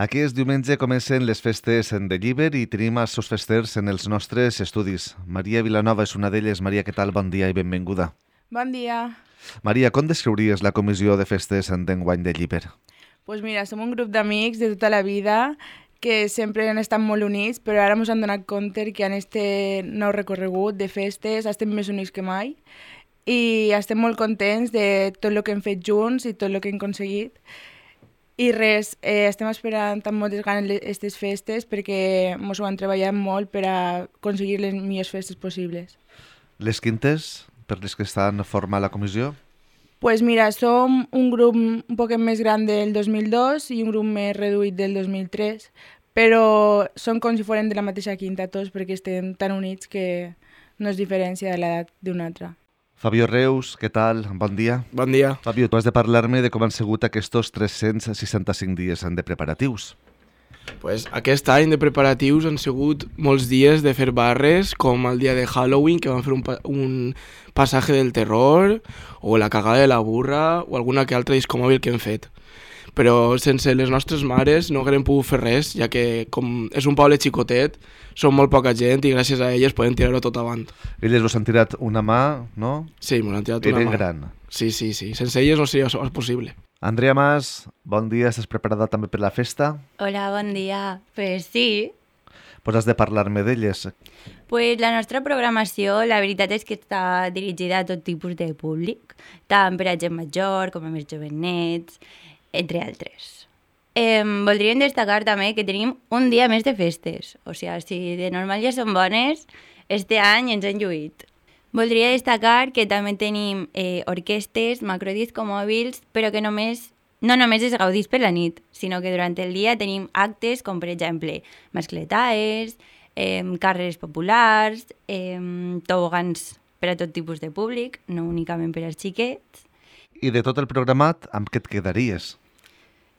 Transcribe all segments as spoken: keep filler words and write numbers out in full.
Aquest diumenge comencen les festes de Llíber i tenim els seus festers en els nostres estudis. Maria Vilanova és una d'elles. Maria, què tal? Bon dia i benvinguda. Bon dia. Maria, com descriuries la comissió de festes d'enguany de Llíber? Pues mira, som un grup d'amics de tota la vida que sempre han estat molt units, però ara ens han donat compte que en este nou recorregut de festes estem més units que mai i estem molt contents de tot el que hem fet junts i tot el que hem aconseguit. I res, eh, estem esperant amb moltes ganes aquestes festes perquè ens ho han treballat molt per a aconseguir les millors festes possibles. Les quintes, per les que estan formant la comissió? Pues mira, som un grup un poc més gran del dos mil dos i un grup més reduït del dos mil tres, però són com si foren de la mateixa quinta tots perquè estem tan units que no es diferència de l'edat d'un altre. Fabio Reus, què tal? Bon dia. Bon dia. Fabio, tu has de parlar-me de com han sigut aquests tres-cents seixanta-cinc dies de preparatius. Pues aquest any de preparatius han sigut molts dies de fer barres, com el dia de Halloween, que vam fer un, pa un passatge del terror, o la cagada de la burra, o alguna que altra discomòbil que hem fet. Però sense les nostres mares no haguem pogut fer res, ja que com és un poble xicotet, som molt poca gent i gràcies a elles podem tirar-ho tot avant. Elles us han tirat una mà, no? Sí, m'ho han tirat Eren una mà. gran. Sí, sí, sí. Sense elles no seria possible. Andrea Mas, bon dia. Estàs preparada també per la festa? Hola, bon dia. Pues sí. Pues has de parlar-me d'elles. Pues la nostra programació, la veritat és que està dirigida a tot tipus de públic, tant per a gent major com a més jovenets, entre altres. Eh, voldríem destacar també que tenim un dia més de festes. O sigui, si de normal ja són bones, este any ens han lluït. Voldria destacar que també tenim eh, orquestes, macrodiscomòbils, però que només, no només es gaudís per la nit, sinó que durant el dia tenim actes com, per exemple, mascletaes, eh, carreres populars, eh, tobogans per a tot tipus de públic, no únicament per als xiquets. I de tot el programat, amb què et quedaries?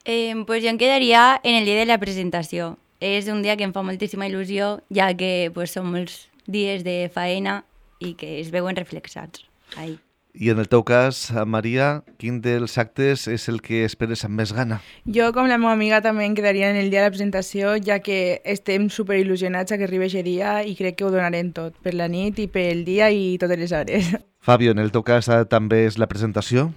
Eh, pues jo em quedaria en el dia de la presentació. És un dia que em fa moltíssima il·lusió, ja que pues, són molts dies de faena i que es veuen reflexats ahí. I en el teu cas, Maria, quin dels actes és el que esperes amb més gana? Jo, com la meva amiga, també em quedaria en el dia de la presentació, ja que estem superil·lusionats a que arribi aquest dia i crec que ho donarem tot, per la nit i pel dia i totes les hores. Fabio, en el teu cas també és la presentació?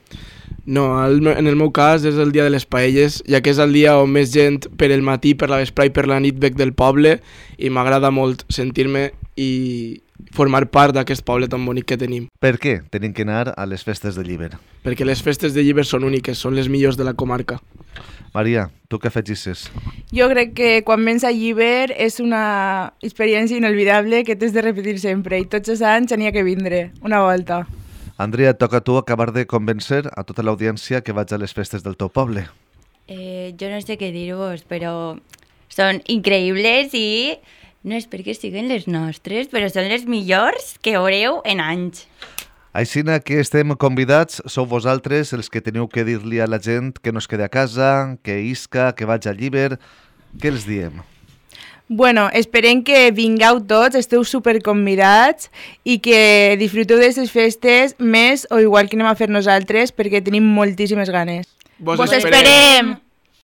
No, en el meu cas és el dia de les paelles, ja que és el dia on més gent per el matí, per la vesprà i per la nit bec del poble i m'agrada molt sentir-me i formar part d'aquest poble tan bonic que tenim. Per què tenim que anar a les festes de Llíber? Perquè les festes de Llíber són úniques, són les millors de la comarca. Maria, tu què afegisses? Jo crec que quan vens a Llíber és una experiència inolvidable que t'has de repetir sempre i tots els anys n'hi ha que vindre, una volta. Andrea, et toca a tu acabar de convèncer a tota l'audiència que vaig a les festes del teu poble. Eh, jo no sé què dir-vos, però són increïbles i no és perquè siguin les nostres, però són les millors que veureu en anys. Aixina que estem convidats, sou vosaltres els que teniu que dir-li a la gent que no es quedi a casa, que isca, que vaig a Llíber. Què els diem? Bueno, esperem que vingueu tots, esteu superconvidats i que disfruteu d'aquestes festes més o igual que anem a fer nosaltres perquè tenim moltíssimes ganes. Vos, Vos esperem! esperem!